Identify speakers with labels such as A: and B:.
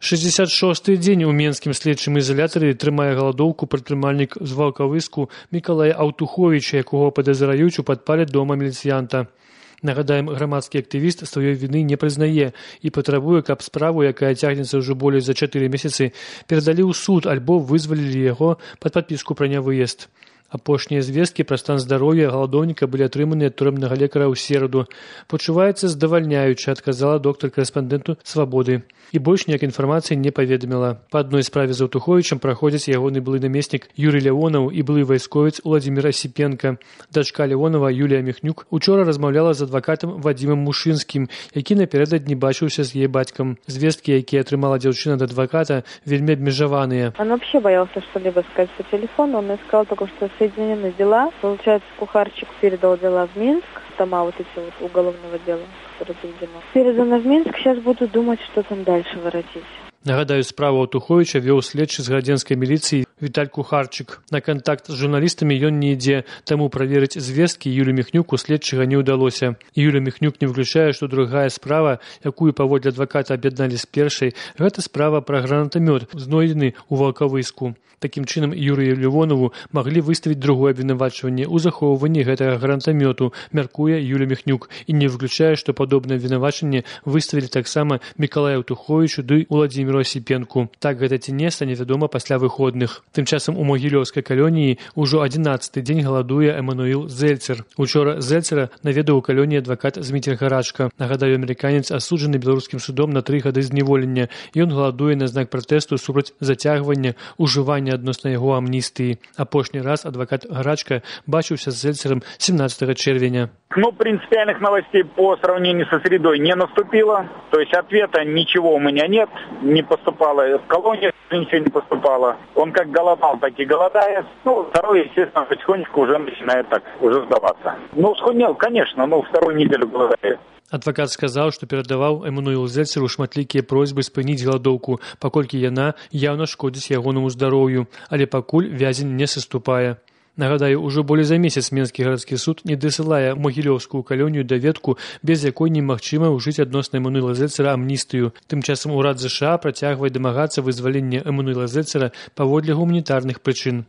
A: 66-й дзень у менскім следчым ізалятары трымае галадоўку прадпрымальнік з Ваўкавыску Мікалай Аўтуховіч, якога падазраюць у падпале дома міліцыянта. Нагадаем, грамадскі актывіст сваёй віны не прызнае і патрабуе, каб справу, якая цягнецца ўжо болей за 4 месяцы, перадалі ў суд альбо вызвалілі яго пад падпіску пра нявыезд. Апошнія звесткі пра стан здароўя галадоўніка былі атрыманы ад турэмнага лекара ў сераду. Пачуваецца здавальняюча, адказала доктар-карэспандэнту «Свабоды». І больш ніяк інфармацыі не паведаміла. Па адной справе з Аўтуховічам праходзяць ягоны былы намеснік Юрый Леонаў і былы вайсковец Уладзімір Асіпенка. Дачка Леонава Юлія Міхнюк учора размаўляла з адвакатам Вадзімам Мушынскім, які напярэдадні бачыўся з яе бацькам. Звесткі, якія атрымала дзяўчына ад адваката, вельмі абмежаваныя.
B: Он вообще боялся что-либо сказать по телефону. Он сказал только, что соединены дела. Получается, Кухарчик передал дела в Минск, тома вот эти вот уголовного дела, которые заведено. Передано в Минск, сейчас буду думать, что там дальше воротить.
A: Нагадаю, справу Аўтуховіча вёў следчы з градзенскай міліцыі Віталь Кухарчык. На кантакт з журналістамі ён не ідзе, таму праверыць звесткі Юлі Міхнюку следчага не ўдалося. Юля Міхнюк не выключае, што другая справа, якую паводле адваката аб'ядналі з першай, гэта справа пра гранатамёт, знойдзены ў Ваўкавыску. Такім чынам, Юрыю Левонову маглі выставіць другое абвінавачванне ў захоўванні гэтага гранатамёту, мяркуе Юля Міхнюк, і не выключае, што падобнае абвінавачанне выставілі таксама Мікалаю Аўтуховічу ды Уладзіміру Асіпенку. Так гэта ці не, стане вядома пасля выходных. Тым часам у Могілёўскай калоніі ўжо 11-й дзень галадуе Эмануіл Зельцер. Учора Зельцера наведаў у калоніі адвакат Зміцер Гарачка. Нагадаю, амерыканец асуджаны беларускім судом на 3 гады зняволення. Ён галадуе на знак пратэсту супраць зацягвання ужывання адносна яго амністыі. Апошні раз адвакат Гарачка бачыўся з Зельцером 17 червеня.
C: Ну, принципиальных новостей по сравнению со средой не наступило. То есть ответа ничего у меня нет. Не поступало в колонии, ничего не поступало. Он как голодал, так и голодает. Ну, второй, естественно, потихонечку уже начинает так уже сдаваться. Ну, схуднел, конечно, но вторую неделю голодает.
A: Адвакат сказаў, што перадаваў Эмануілу Зельцеру шматлікія просьбы спыніць галадоўку, паколькі яна яўна шкодзіць ягонаму здароўю, але пакуль вязень не саступае. Нагадаю, ужо болей за месяц Менскі гарадскі суд не дасылае Могілёўскую калонію даведку, без якой немагчыма ўжыць адносна Эмануіла Зельцера амністыю. Тым часам урад ЗША працягвае дамагацца вызвалення Эмануіла Зельцера паводле гуманітарных прычын.